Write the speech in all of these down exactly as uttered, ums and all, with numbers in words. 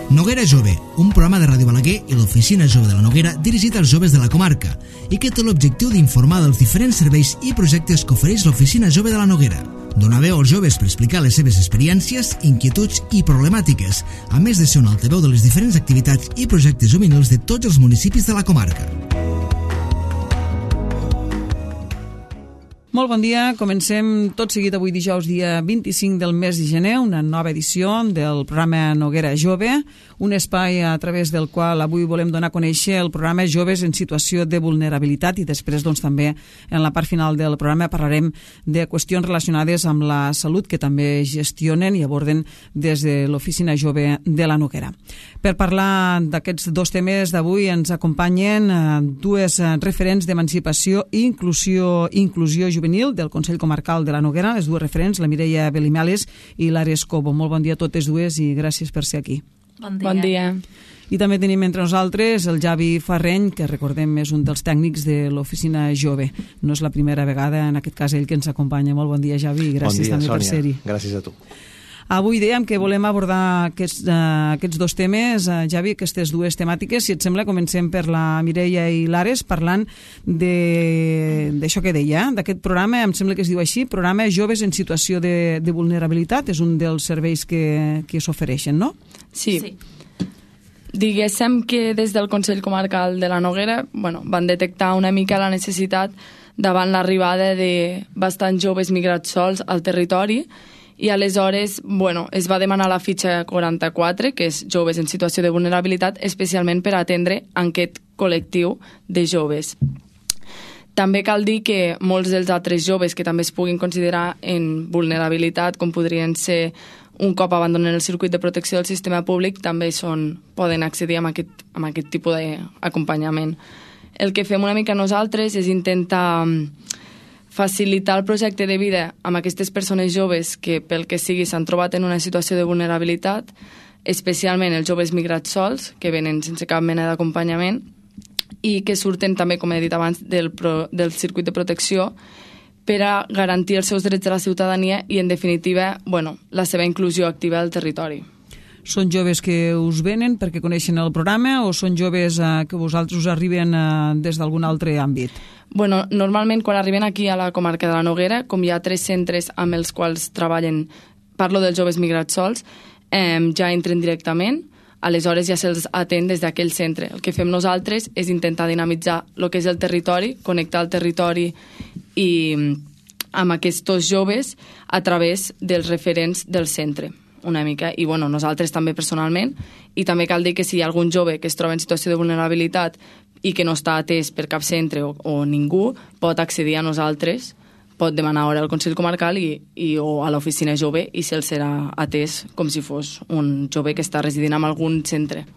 Noguera Jove, un programa de Ràdio Balaguer i l'Oficina Jove de la Noguera dirigit als joves de la comarca i que té l'objectiu d'informar dels diferents serveis i projectes que ofereix l'Oficina Jove de la Noguera. Donar veu als joves per explicar les seves experiències, inquietuds i problemàtiques, a més de ser un altaveu de les diferents activitats i projectes juvenils de tots els municipis de la comarca. Molt bon dia, comencem tot seguit avui dijous dia vint-i-cinc del mes de gener, una nova edició del programa Noguera Jove, un espai a través del qual avui volem donar a conèixer el programa Joves en situació de vulnerabilitat i després doncs també en la part final del programa parlarem de qüestions relacionades amb la salut que també gestionen i aborden des de l'Oficina Jove de la Noguera. Per parlar d'aquests dos temes d'avui ens acompanyen dues referents d'emancipació i inclusió, inclusió juvenil del Consell Comarcal de la Noguera, les dues referents, la Mireia Belimeles i l'Ares Cobo. Molt bon dia a totes dues i gràcies per ser aquí. Bon dia. Bon dia. I també tenim entre nosaltres el Javi Farreny, que recordem és un dels tècnics de l'Oficina Jove. No és la primera vegada, en aquest cas, ell que ens acompanya. Molt bon dia, Javi, i gràcies bon dia, també Sònia. per ser-hi. Gràcies a tu. Avui dèiem que volem abordar aquests, uh, aquests dos temes, uh, Javi, aquestes dues temàtiques. Si et sembla, comencem per la Mireia i l'Ares parlant d'això que deia, d'aquest programa, em sembla que es diu així, programa Joves en situació de, de vulnerabilitat, és un dels serveis que, que s'ofereixen, no? Sí. Sí. Diguéssim que des del Consell Comarcal de la Noguera bueno, van detectar una mica la necessitat davant l'arribada de bastants joves migrats sols al territori i aleshores bueno, es va demanar la fitxa quaranta-quatre, que és joves en situació de vulnerabilitat, especialment per atendre aquest col·lectiu de joves. També cal dir que molts dels altres joves que també es puguin considerar en vulnerabilitat, com podrien ser un cop abandonen el circuit de protecció del sistema públic, també són, poden accedir a aquest, a aquest tipus d'acompanyament. El que fem una mica nosaltres és intentar facilitar el projecte de vida amb aquestes persones joves que pel que sigui s'han trobat en una situació de vulnerabilitat, especialment els joves migrats sols, que venen sense cap mena d'acompanyament i que surten també, com he dit abans, del, pro, del circuit de protecció per a garantir els seus drets de la ciutadania i, en definitiva, bueno, la seva inclusió activa al territori. Són joves que us venen perquè coneixen el programa o són joves eh, que vosaltres us arriben eh, des d'algun altre àmbit? Bueno, normalment quan arriben aquí a la comarca de la Noguera, com hi ha tres centres amb els quals treballen, parlo dels joves migrats sols, eh, ja entren directament, aleshores ja se'ls atén des d'aquell centre. El que fem nosaltres és intentar dinamitzar el que és el territori, connectar el territori i amb aquests joves a través dels referents del centre una mica, i bueno, nosaltres també personalment, i també cal dir que si hi ha algun jove que es troba en situació de vulnerabilitat i que no està atès per cap centre o, o ningú, pot accedir a nosaltres, pot demanar hora al Consell Comarcal i, i, o a l'Oficina Jove i se'l serà atès com si fos un jove que està residint en algun centre.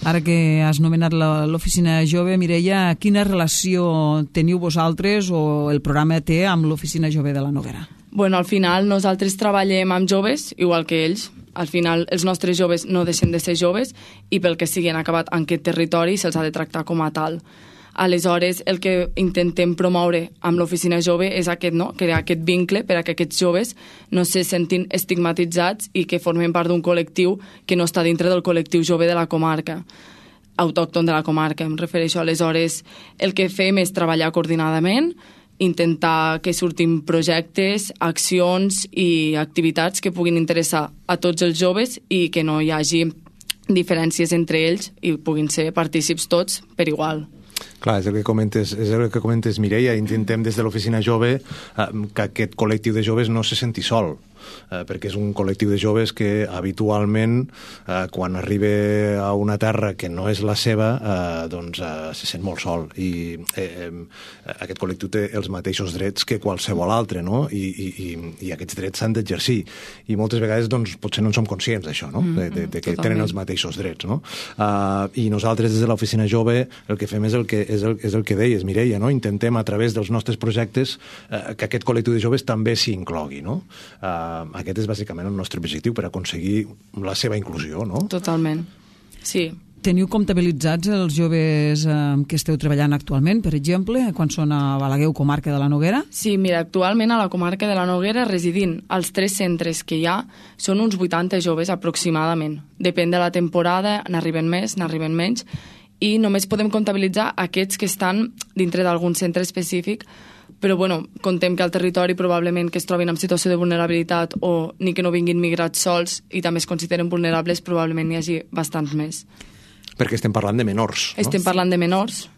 Ara que has nomenat l'Oficina Jove, Mireia, quina relació teniu vosaltres o el programa té amb l'Oficina Jove de la Noguera? Bueno, al final nosaltres treballem amb joves, igual que ells. Al final els nostres joves no deixen de ser joves i pel que sigui han acabat en aquest territori se'ls ha de tractar com a tal. Aleshores, el que intentem promoure amb l'Oficina Jove és aquest, no? Crear aquest vincle per a que aquests joves no se sentin estigmatitzats i que formen part d'un col·lectiu que no està dintre del col·lectiu jove de la comarca, autòcton de la comarca, em refereixo. Aleshores, el que fem és treballar coordinadament, intentar que surtin projectes, accions i activitats que puguin interessar a tots els joves i que no hi hagi diferències entre ells i puguin ser partícips tots per igual. Clar, és el que comentes, és el que comentes Mireia, intentem des de l'Oficina Jove eh, que aquest col·lectiu de joves no se senti sol, eh, perquè és un col·lectiu de joves que habitualment eh, quan arriba a una terra que no és la seva eh, doncs eh, se sent molt sol i eh, eh, aquest col·lectiu té els mateixos drets que qualsevol altre, no? I, i, i, i aquests drets s'han d'exercir i moltes vegades doncs, potser no en som conscients d'això, no? de, de, de que Totalment. tenen els mateixos drets, no? Uh, i nosaltres des de l'Oficina Jove el que fem és el que, és el, és el que deies, Mireia, no? Intentem a través dels nostres projectes uh, que aquest col·lectiu de joves també s'hi inclogui, no? Uh, aquest és bàsicament el nostre objectiu per aconseguir la seva inclusió, no? Totalment. Sí, Teniu comptabilitzats els joves eh, que esteu treballant actualment, per exemple, quan són a Balaguer o comarca de la Noguera? Sí, mira, actualment a la comarca de la Noguera, residint als tres centres que hi ha, són uns vuitanta joves aproximadament. Depèn de la temporada, n'arriben més, n'arriben menys, i només podem comptabilitzar aquests que estan dintre d'algun centre específic, però bueno, contem que al territori probablement que es trobin en situació de vulnerabilitat o ni que no vinguin migrats sols i també es consideren vulnerables, probablement n'hi hagi bastants més. Perquè estem parlant de menors, no? Estem parlant de menors,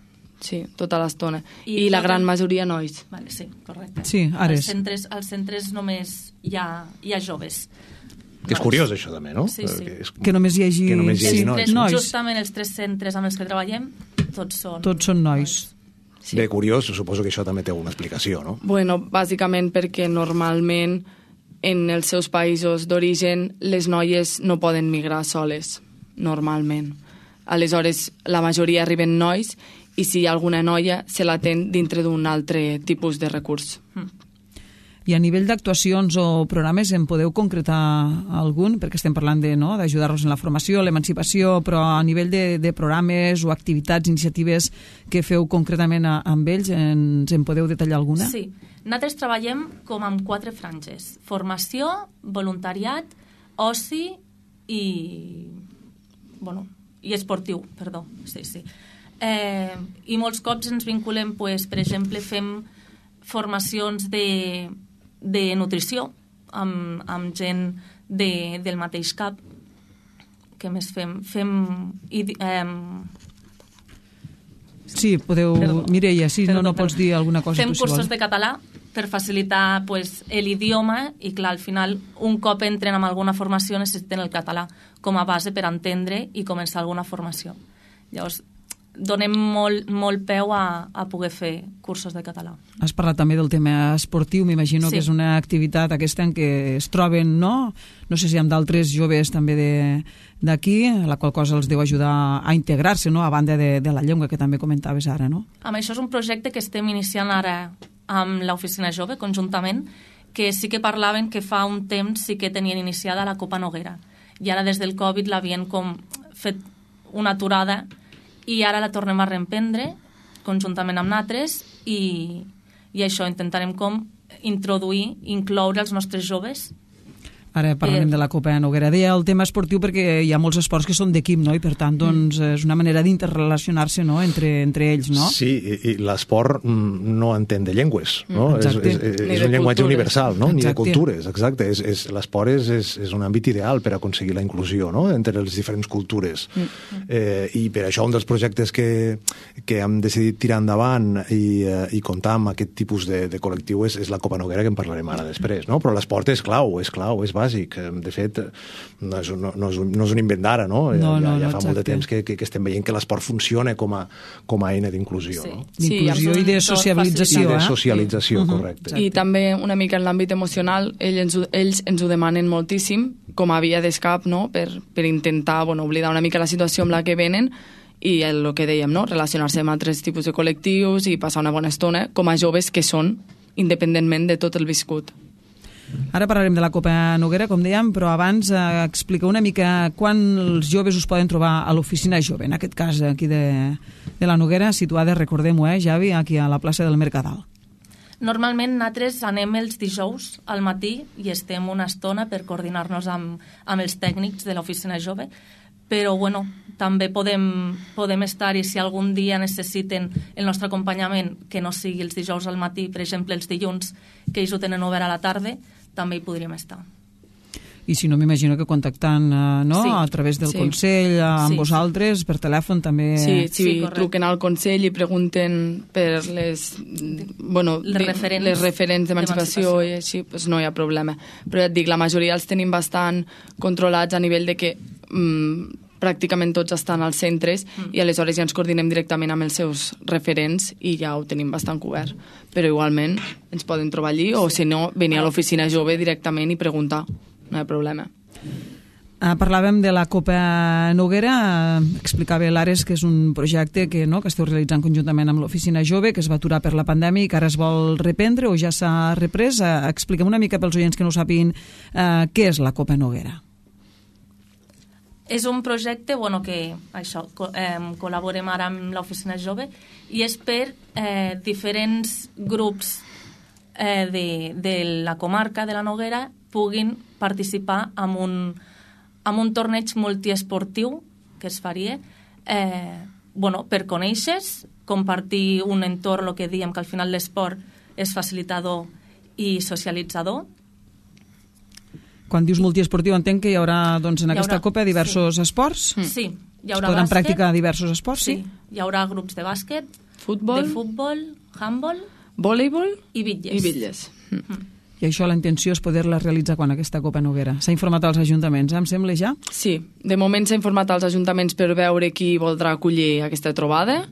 sí, tota l'estona. I, I la gran majoria nois. Vale, sí, correcte. Sí, ara als és. centres, als centres només hi ha, hi ha joves. Que és curiós, això, també, no? Sí, sí. Que, és... Que només hi hagi, que només hi hagi sí, nois. Tres, nois. Justament els tres centres amb els que treballem, tots són... Tots són nois. Sí. Bé, curiós, suposo que això també té alguna explicació, no? Bueno, bàsicament perquè normalment en els seus països d'origen les noies no poden migrar soles, normalment. Aleshores, la majoria arriben nois i si hi ha alguna noia se l'atén dintre d'un altre tipus de recurs. Mm. I a nivell d'actuacions o programes en podeu concretar algun? Perquè estem parlant de, no, d'ajudar-los en la formació, l'emancipació, però a nivell de, de programes o activitats, iniciatives que feu concretament a, amb ells, ens en podeu detallar alguna? Sí. Nosaltres treballem com amb quatre franges. Formació, voluntariat, oci i... Bueno, i esportiu, perdó. Sí, sí. Eh, I molts cops ens vinculem, pues, per exemple, fem formacions de, de nutrició amb, amb gent de, del mateix cap. Què més fem? Fem... I, eh, Sí, podeu... Perdó. Mireia, sí, Perdó, no, no perdó. pots dir alguna cosa. Fem tu, si cursos vols. de català per facilitar pues, l'idioma i, clar, al final, un cop entren en alguna formació necessiten el català com a base per entendre i començar alguna formació. Llavors, donem molt, molt peu a, a poder fer cursos de català. Has parlat també del tema esportiu, m'imagino Sí. que és una activitat aquesta en què es troben, no? No sé si amb d'altres joves també de- d'aquí, la qual cosa els deu ajudar a integrar-se, no? A banda de, de la llengua que també comentaves ara, no? Amb això és un projecte que estem iniciant ara amb l'Oficina Jove, conjuntament, que sí que parlaven que fa un temps sí que tenien iniciada la Copa Noguera. I ara des del Covid l'havien com fet una aturada i ara la tornem a reemprendre conjuntament amb nosaltres i, i això, intentarem com introduir, incloure els nostres joves. Ara parlarem Eh. de la Copa Noguera. Deia el tema esportiu perquè hi ha molts esports que són d'equip, no? I per tant, doncs, és una manera d'interrelacionar-se, no? Entre, entre ells, no? Sí, i, i l'esport mm, no entén de llengües, no? És, Exacte. és, és, Ni és de un llenguatge cultures. universal, no? Ni de Exacte. cultures, exacte. És, és, l'esport és, és, és un àmbit ideal per aconseguir la inclusió, no?, entre les diferents cultures. Mm. Eh, I per això un dels projectes que, que hem decidit tirar endavant i, eh, i comptar amb aquest tipus de, de col·lectiu és, és la Copa Noguera, que en parlarem ara després, no? Però l'esport és clau, és clau, és bàsic. De fet, no és, un- no, no és, un, no és un invent d'ara, no? No, ja, no, ja no, fa molt de exacte. temps que, que, que estem veient que l'esport funciona com a, com a eina d'inclusió, Sí. no? D'inclusió Sí, i de amb- sociabilització, I de eh? socialització, Mhm. correcte. I també una mica en l'àmbit emocional, ells ens, ho- ells ens ho demanen moltíssim, com a via d'escap, no? per, per intentar bueno, oblidar una mica la situació amb la que venen i el, el que dèiem, no? Relacionar-se amb altres tipus de col·lectius i passar una bona estona com a joves que són, independentment de tot el viscut. Ara parlarem de la Copa Noguera, com dèiem, però abans eh, explica una mica quan els joves us poden trobar a l'Oficina Jove, en aquest cas aquí de, de la Noguera, situada, recordem-ho, eh, Javi, aquí a la plaça del Mercadal. Normalment nosaltres anem els dijous al matí i estem una estona per coordinar-nos amb, amb els tècnics de l'Oficina Jove, però bueno, també podem, podem estar-hi si algun dia necessiten el nostre acompanyament, que no sigui els dijous al matí, per exemple els dilluns, que ells ho tenen obert a la tarda, també hi podríem estar. I si no, m'imagino que contactant eh, no? Sí. a través del Sí. Consell eh, amb Sí. vosaltres, per telèfon també... Sí, si Sí, correcte. truquen al Consell i pregunten per les, bueno, Les de- referents les referents d'emancipació d'emancipació. i així, pues no hi ha problema. Però ja et dic, la majoria els tenim bastant controlats a nivell de que mm, pràcticament tots estan als centres mm. i aleshores ja ens coordinem directament amb els seus referents i ja ho tenim bastant cobert. Però igualment ens poden trobar allí o si no, venir a l'oficina jove directament i preguntar. No hi ha problema. Uh, parlàvem de la Copa Noguera, uh, explicava l'Ares que és un projecte que, no, que esteu realitzant conjuntament amb l'Oficina Jove, que es va aturar per la pandèmia i que ara es vol reprendre o ja s'ha reprès. Uh, expliquem una mica pels oients que no ho sàpiguen uh, què és la Copa Noguera. és un projecte bueno, que això, co eh, col·laborem ara amb l'Oficina Jove i és per eh, diferents grups eh, de, de la comarca de la Noguera puguin participar en un, en un torneig multiesportiu que es faria eh, bueno, per conèixer, compartir un entorn, el que diem que al final l'esport és facilitador i socialitzador. Quan dius multiesportiu entenc que hi haurà doncs, en hi aquesta haurà, copa diversos sí. esports? Sí, hi haurà es podran bàsquet, practicar diversos esports, sí? sí? Hi haurà grups de bàsquet, futbol, de futbol, handball, voleibol i bitlles. I bitlles. Mm. I això la intenció és poder-la realitzar quan aquesta Copa Noguera. S'ha informat als ajuntaments, eh, em sembla ja? Sí, de moment s'ha informat als ajuntaments per veure qui voldrà acollir aquesta trobada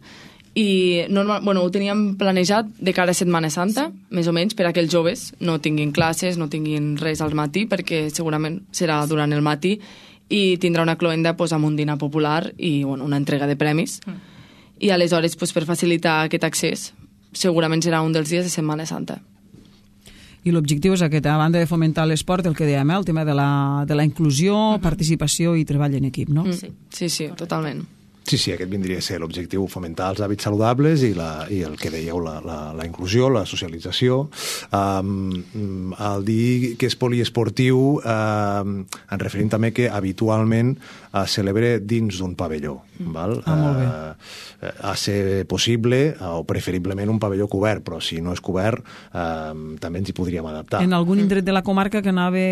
i normal, bueno, ho teníem planejat de cara a Setmana Santa, sí. més o menys, per a que els joves no tinguin classes, no tinguin res al matí, perquè segurament serà durant el matí i tindrà una cloenda pues, amb un dinar popular i bueno, una entrega de premis. Mm. I aleshores, pues, per facilitar aquest accés, segurament serà un dels dies de Setmana Santa. I l'objectiu és aquest, a banda de fomentar l'esport, el que dèiem, eh? El tema de la, de la inclusió, uh-huh. participació i treball en equip, no? Mm. Sí, sí, sí totalment. Sí, sí, aquest vindria a ser l'objectiu, fomentar els hàbits saludables i, la, i el que dèieu, la, la, la inclusió, la socialització. Um, al dir que és poliesportiu, um, en referim també que habitualment es celebra dins d'un pavelló. Mm. Val? Ah, molt bé. Uh, a ser possible, o preferiblement un pavelló cobert, però si no és cobert, um, també ens hi podríem adaptar. En algun indret de la comarca que anava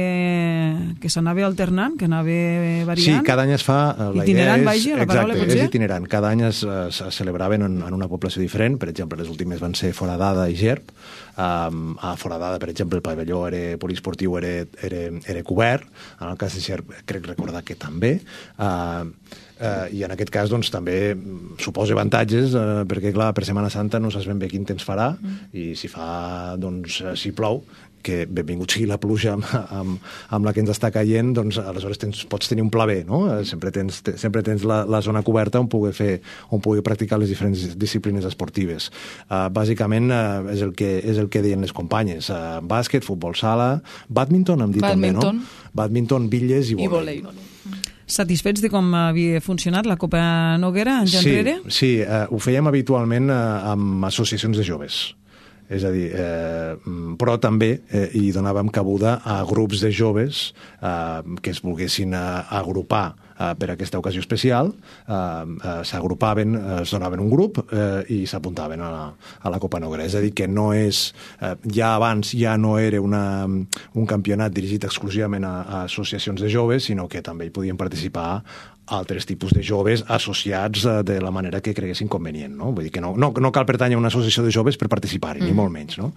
que s'anava alternant, que anava variant? Sí, cada any es fa... La itinerant, idea és, vagi, la paraula exacte, potser? És itinerant. Cada any es, es celebraven en, en una població diferent. Per exemple, les últimes van ser Foradada i Gerb. Um, a Foradada, per exemple, el pavelló era poliesportiu era, era, era cobert. En el cas de Gerb, crec recordar que també. Uh, Uh, i en aquest cas doncs, també suposa avantatges uh, perquè clar, per Setmana Santa no saps ben bé quin temps farà mm. i si fa, doncs, si plou, que benvingut sigui la pluja amb, amb, amb la que ens està caient, doncs aleshores tens, pots tenir un pla B, no? Uh, sempre tens, te, sempre tens la, la zona coberta on pugui fer, on pugui practicar les diferents disciplines esportives. Uh, bàsicament uh, és, el que, és el que deien les companyes. Uh, bàsquet, futbol sala, badminton hem dit badminton. també, no? Badminton, bitlles i I volei. volei. Satisfets de com havia funcionat la Copa Noguera en sí, enrere? Sí, eh, ho fèiem habitualment eh, amb associacions de joves. És a dir, eh, però també eh, hi donàvem cabuda a grups de joves eh, que es volguessin eh, agrupar eh, per aquesta ocasió especial, eh, eh, s'agrupaven, eh, es donaven un grup eh, i s'apuntaven a, la, a la Copa Noguera. És a dir, que no és... Eh, ja abans ja no era una, un campionat dirigit exclusivament a, a associacions de joves, sinó que també hi podien participar altres tipus de joves associats de la manera que creguessin convenient, no? Vull dir que no, no, no cal pertànyer a una associació de joves per participar-hi, mm. ni molt menys, no?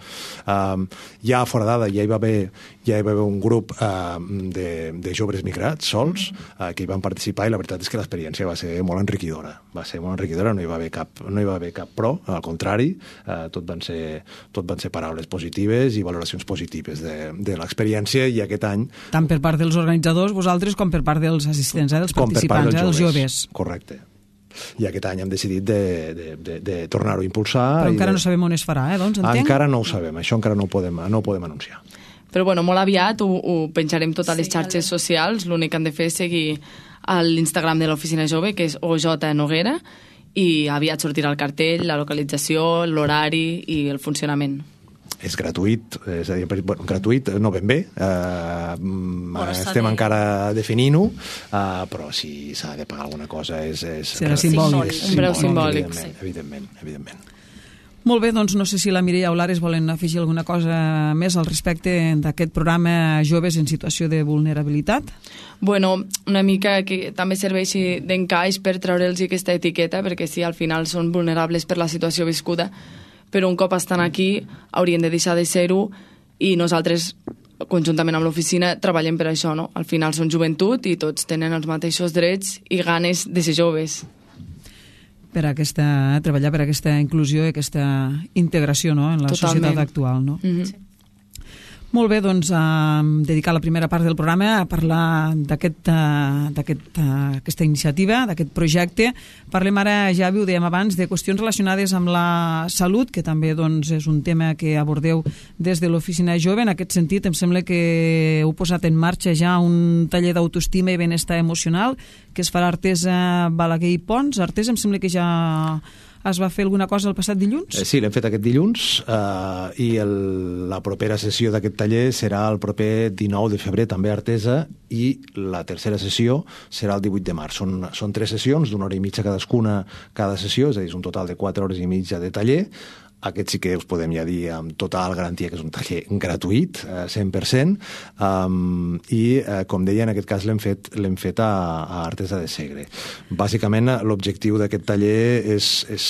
Um, ja a Foradada ja hi va haver, ja hi va haver un grup uh, de, de joves migrats sols uh, que hi van participar i la veritat és que l'experiència va ser molt enriquidora. Va ser molt enriquidora, no hi va haver cap, no hi va haver cap pro, al contrari, uh, tot, van ser, tot van ser paraules positives i valoracions positives de, de l'experiència i aquest any... Tant per part dels organitzadors, vosaltres, com per part dels assistents, eh, dels participants. Dels joves. dels joves. Correcte. I aquest any hem decidit de, de, de, de tornar-ho a impulsar. Però encara de... no sabem on es farà, eh? Doncs, entenc? Encara no ho sabem, això encara no ho podem, no ho podem anunciar. Però bueno, molt aviat ho, ho penjarem tot a les sí, xarxes socials, l'únic que han de fer és seguir a l'Instagram de l'Oficina Jove, que és O J Noguera, i aviat sortirà el cartell, la localització, l'horari i el funcionament. És gratuït, és a dir, bueno, gratuït no ben bé, eh, estem de... encara definint-ho, eh, però si s'ha de pagar alguna cosa és... és serà simbòlic. És, un preu simbòlic, evidentment, sí. evidentment, evidentment. Molt bé, doncs no sé si la Mireia o l'Ares volen afegir alguna cosa més al respecte d'aquest programa Joves en situació de vulnerabilitat. Bueno, una mica que també serveixi d'encaix per treure'ls aquesta etiqueta, perquè sí, al final són vulnerables per la situació viscuda, però un cop estan aquí haurien de deixar de ser-ho i nosaltres, conjuntament amb l'oficina, treballem per això, no? Al final són joventut i tots tenen els mateixos drets i ganes de ser joves. Per aquesta, treballar per aquesta inclusió i aquesta integració, no?, en la Totalment. societat actual, no? Mm-hmm. Sí. Molt bé, doncs eh, dedicar la primera part del programa a parlar d'aquest, eh, d'aquest, eh, aquesta iniciativa, d'aquest projecte. Parlem ara, ja ho dèiem abans, de qüestions relacionades amb la salut, que també doncs, és un tema que abordeu des de l'Oficina Jove. En aquest sentit, em sembla que heu posat en marxa ja un taller d'autoestima i benestar emocional que es farà a Artesa, Balaguer i Pons. Artesa, em sembla que ja es va fer alguna cosa el passat dilluns? Eh, sí, l'hem fet aquest dilluns eh, i el, la propera sessió d'aquest taller serà el proper dinou de febrer, també a Artesa, i la tercera sessió serà el divuit de març. Són, són tres sessions d'una hora i mitja cadascuna cada sessió, és a dir, és un total de quatre hores i mitja de taller. Aquest sí que us podem ja dir amb total garantia que és un taller gratuït, cent per cent, um, i, uh, com deia, en aquest cas l'hem fet, l'hem fet a, a Artesa de Segre. Bàsicament, l'objectiu d'aquest taller és, és,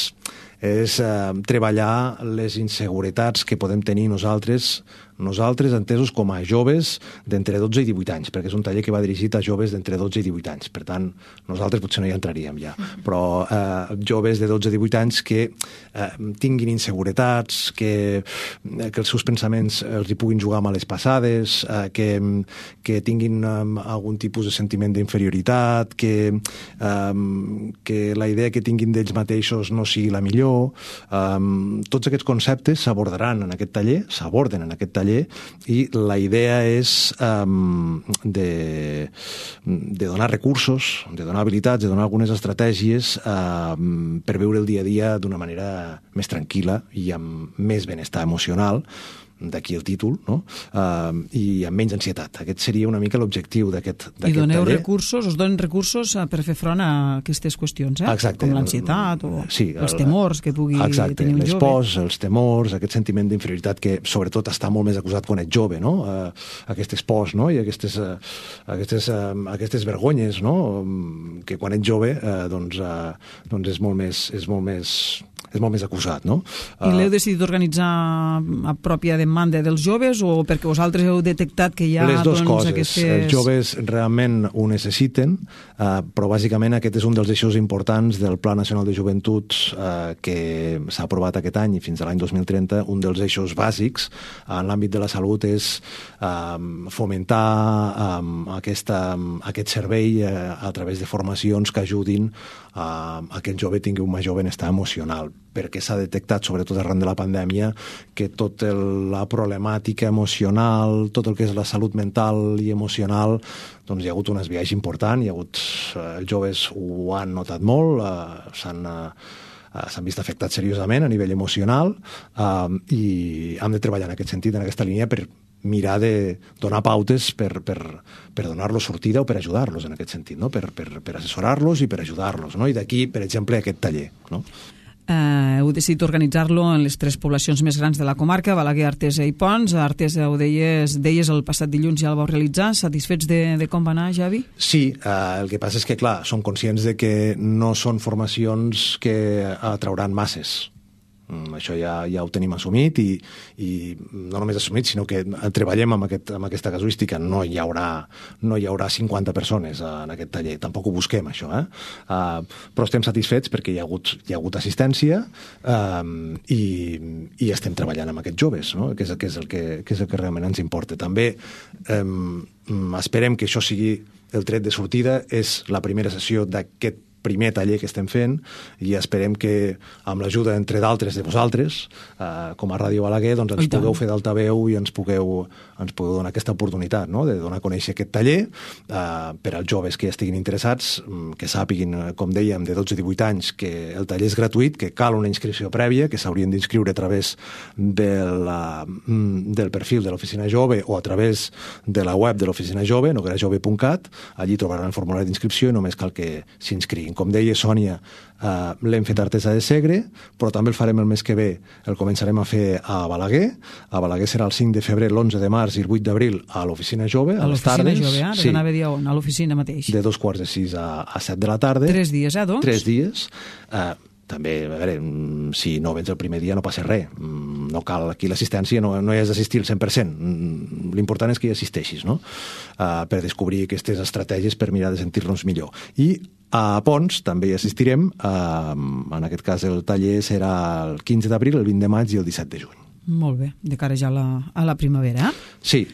és uh, treballar les inseguretats que podem tenir nosaltres nosaltres entesos com a joves d'entre dotze i divuit anys, perquè és un taller que va dirigit a joves d'entre dotze i divuit anys. Per tant, nosaltres potser no hi entraríem ja, però eh, joves de dotze a divuit anys que eh, tinguin inseguretats, que, que els seus pensaments els hi puguin jugar males passades, eh, que, que tinguin eh, algun tipus de sentiment d'inferioritat, que, eh, que la idea que tinguin d'ells mateixos no sigui la millor. Eh, tots aquests conceptes s'abordaran en aquest taller, s'aborden en aquest taller, i la idea és um, de, de donar recursos, de donar habilitats, de donar algunes estratègies um, per viure el dia a dia d'una manera més tranquil·la i amb més benestar emocional, d'aquí el títol, no? Uh, i amb menys ansietat. Aquest seria una mica l'objectiu d'aquest taller. I doneu recursos, us donen recursos per fer front a aquestes qüestions, eh? Exacte. Com l'ansietat o sí, els temors que pugui exacte, tenir un jove. Les pors, els temors, aquest sentiment d'inferioritat que sobretot està molt més acusat quan ets jove, no? Uh, aquestes pors, no? I aquestes, uh, aquestes, uh, aquestes vergonyes, no? Um, que quan ets jove uh, doncs, uh, doncs és molt més... És molt més és molt més acusat, no? I l'heu decidit organitzar a pròpia demanda dels joves o perquè vosaltres heu detectat que hi ha les dues doncs, coses. aquestes... Els joves realment ho necessiten, eh, però bàsicament aquest és un dels eixos importants del Pla Nacional de Joventuts eh, que s'ha aprovat aquest any i fins a l'any dos mil trenta. Un dels eixos bàsics en l'àmbit de la salut és eh, fomentar eh, aquesta, aquest servei eh, a través de formacions que ajudin a que el jove tingui un major benestar emocional, perquè s'ha detectat, sobretot arran de la pandèmia, que tota la problemàtica emocional, tot el que és la salut mental i emocional, doncs hi ha hagut un esbiaix important, hi ha hagut, eh, els joves ho han notat molt, eh, s'han... Eh, s'han vist afectats seriosament a nivell emocional eh, i hem de treballar en aquest sentit, en aquesta línia, per mirar de donar pautes per, per, per donar-los sortida o per ajudar-los en aquest sentit, no? per, per, per assessorar-los i per ajudar-los, no? I d'aquí, per exemple, aquest taller, no? Uh, heu decidit organitzar-lo en les tres poblacions més grans de la comarca, Balaguer, Artesa i Pons. A Artesa, ho deies, deies el passat dilluns ja el vau realitzar. Satisfets de, de com va anar, Javi? Sí, uh, el que passa és que, clar, som conscients de que no són formacions que atrauran masses. Mm, això ja, ja ho tenim assumit i, i no només assumit, sinó que treballem amb, aquest, amb aquesta casuística. No hi haurà, no hi haurà cinquanta persones en aquest taller, tampoc ho busquem, això. Eh? Uh, però estem satisfets perquè hi ha hagut, hi ha hagut assistència um, i, i estem treballant amb aquests joves, no? que, és, que, és el que, que és el que realment ens importa. També um, esperem que això sigui el tret de sortida, és la primera sessió d'aquest primer taller que estem fent i esperem que amb l'ajuda, entre d'altres, de vosaltres, eh, com a Ràdio Balaguer, doncs ens pugueu fer d'altaveu i ens pugueu, ens pugueu donar aquesta oportunitat, no? de donar a conèixer aquest taller eh, per als joves que ja estiguin interessats, que sàpiguin, com dèiem, de dotze a divuit anys, que el taller és gratuït, que cal una inscripció prèvia, que s'haurien d'inscriure a través de la, del perfil de l'Oficina Jove o a través de la web de l'Oficina Jove, noguera jove punt cat. Allí trobaran el formulari d'inscripció i només cal que s'inscriguin. Com deia Sònia, eh, l'hem fet a Artesa de Segre, però també el farem el mes que ve, el començarem a fer a Balaguer. A Balaguer serà el cinc de febrer, l'onze de març i el vuit d'abril a l'Oficina Jove, a, a les tardes. A l'Oficina Jove, ara sí. Anava a dir on, a l'oficina mateix. De dos quarts de sis a, a set de la tarda. Tres dies, eh, doncs? Tres dies. Eh, també, a veure, si no vens el primer dia no passa res. No cal aquí l'assistència, no, no hi has d'assistir al cent per cent. L'important és que hi assisteixis, no? Uh, per descobrir aquestes estratègies per mirar de sentir-nos millor. I a Pons també hi assistirem. Uh, en aquest cas el taller serà el quinze d'abril, el vint de maig i el disset de juny. Molt bé, de cara ja a la, a la primavera. Sí.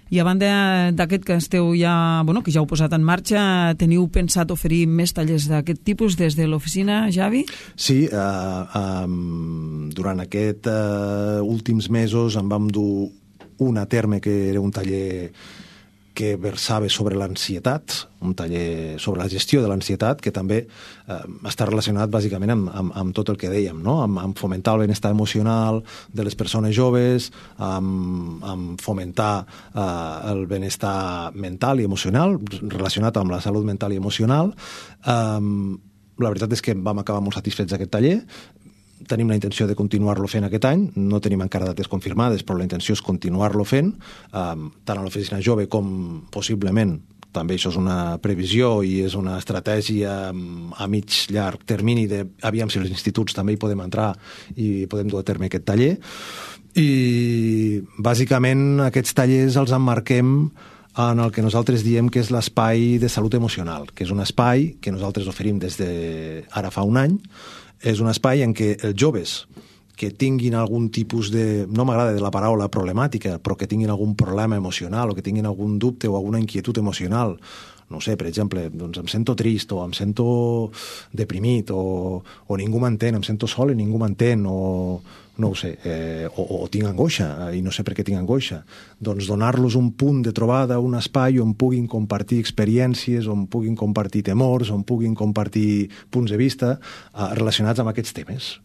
I a banda d'aquest que esteu ja, bueno, que ja heu posat en marxa, teniu pensat oferir més tallers d'aquest tipus des de l'oficina, Javi? Sí, uh, um, durant aquests uh, últims mesos en vam dur un a terme que era un taller que versava sobre l'ansietat, un taller sobre la gestió de l'ansietat, que també eh, està relacionat bàsicament amb, amb, amb tot el que dèiem, no? amb, amb fomentar el benestar emocional de les persones joves, amb, amb fomentar eh, el benestar mental i emocional, relacionat amb la salut mental i emocional. Eh, la veritat és que vam acabar molt satisfets d'aquest taller. Tenim la intenció de continuar-lo fent aquest any, no tenim encara dates confirmades, però la intenció és continuar-lo fent, um, tant a l'oficina jove com possiblement, també això és una previsió i és una estratègia a mig llarg termini de aviam si els instituts també hi podem entrar i podem dur a terme aquest taller. I bàsicament aquests tallers els emmarquem en el que nosaltres diem que és l'espai de salut emocional, que és un espai que nosaltres oferim des de ara fa un any. És un espai en què els joves que tinguin algun tipus de, no m'agrada de la paraula problemàtica, però que tinguin algun problema emocional o que tinguin algun dubte o alguna inquietud emocional, no sé, per exemple, doncs em sento trist o em sento deprimit o, o ningú m'entén, em sento sol i ningú m'entén o no ho sé, eh, o, o tinc angoixa i no sé per què tinc angoixa, doncs donar-los un punt de trobada, un espai on puguin compartir experiències, on puguin compartir temors, on puguin compartir punts de vista eh, relacionats amb aquests temes.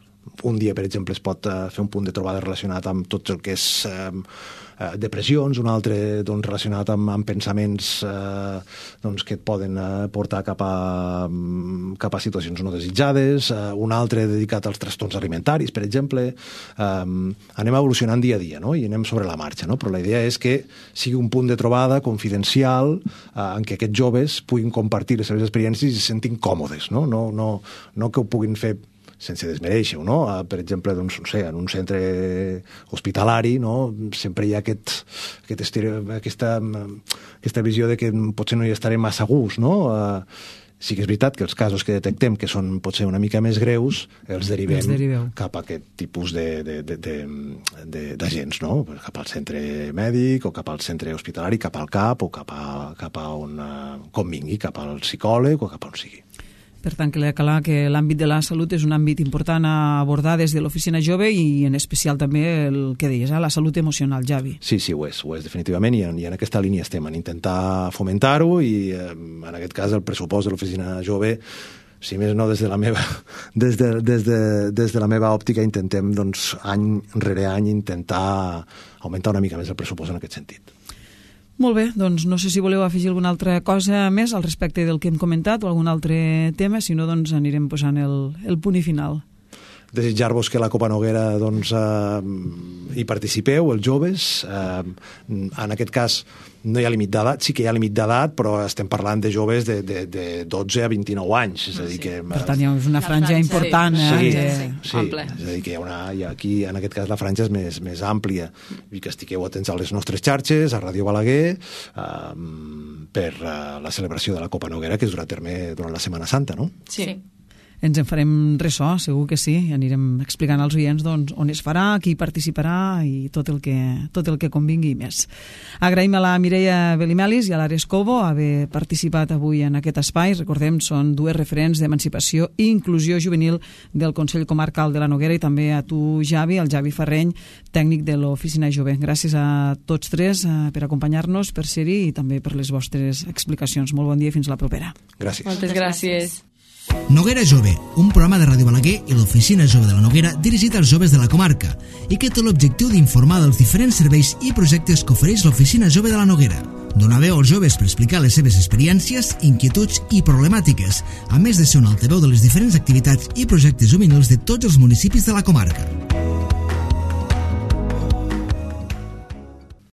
Un dia, per exemple, es pot eh, fer un punt de trobada relacionat amb tot el que és eh, eh, depressions, un altre doncs, relacionat amb, amb pensaments eh, doncs, que et poden eh, portar cap a, cap a situacions no desitjades, eh, un altre dedicat als trastorns alimentaris, per exemple. Eh, anem evolucionant dia a dia, no? I anem sobre la marxa, no? Però la idea és que sigui un punt de trobada confidencial eh, en què aquests joves puguin compartir les seves experiències i se sentin còmodes, no? No, no, no que ho puguin fer sense desmereixer-ho, no? Per exemple, doncs, no sé, en un centre hospitalari, no? Sempre hi ha aquest, aquest estere, aquesta, aquesta visió de que potser no hi estarem massa a gust, no? Sí que és veritat que els casos que detectem que són potser una mica més greus els derivem els cap a aquest tipus d'agents, no? Cap al centre mèdic o cap al centre hospitalari, cap al CAP o cap a, cap a on convingui, cap al psicòleg o cap a on sigui. Per tant, que clar que l'àmbit de la salut és un àmbit important a abordar des de l'oficina jove i en especial també el que deies, eh? La salut emocional, Javi. Sí, sí, ho és, ho és definitivament i en, i en aquesta línia estem, en intentar fomentar-ho i eh, en aquest cas el pressupost de l'oficina jove, si més no des de la meva, des de, des de, des de la meva òptica intentem doncs, any rere any intentar augmentar una mica més el pressupost en aquest sentit. Molt bé, doncs no sé si voleu afegir alguna altra cosa més al respecte del que hem comentat o algun altre tema, si no doncs anirem posant el, el punt i final. Desitjar-vos que la Copa Noguera doncs, eh, hi participeu, els joves. Eh, en aquest cas no hi ha límit d'edat, sí que hi ha límit d'edat, però estem parlant de joves de, de, de dotze a vint-i-nou anys. És a dir que, per tant, hi ha una franja important. Sí, eh? sí, sí. És a dir que hi ha una, hi ha aquí, en aquest cas, la franja és més, més àmplia. I que estigueu atents a les nostres xarxes, a Ràdio Balaguer, eh, per eh, la celebració de la Copa Noguera que es durà a terme durant la Setmana Santa, no? Sí. Ens en farem ressò, segur que sí, i anirem explicant als oients doncs, on es farà, qui participarà i tot el que, tot el que convingui més. Agraïm a la Mireia Belimelis i a l'Ares Cobo haver participat avui en aquest espai. Recordem, són dues referents d'emancipació i inclusió juvenil del Consell Comarcal de la Noguera i també a tu, Javi, el Javi Ferreny, tècnic de l'Oficina Jove. Gràcies a tots tres eh, per acompanyar-nos, per ser-hi i també per les vostres explicacions. Molt bon dia i fins la propera. Gràcies. Moltes gràcies. Noguera Jove, un programa de Ràdio Balaguer i l'Oficina Jove de la Noguera dirigit als joves de la comarca i que té l'objectiu d'informar dels diferents serveis i projectes que ofereix l'Oficina Jove de la Noguera. Donar veu als joves per explicar les seves experiències, inquietuds i problemàtiques, a més de ser un altaveu de les diferents activitats i projectes juvenils de tots els municipis de la comarca.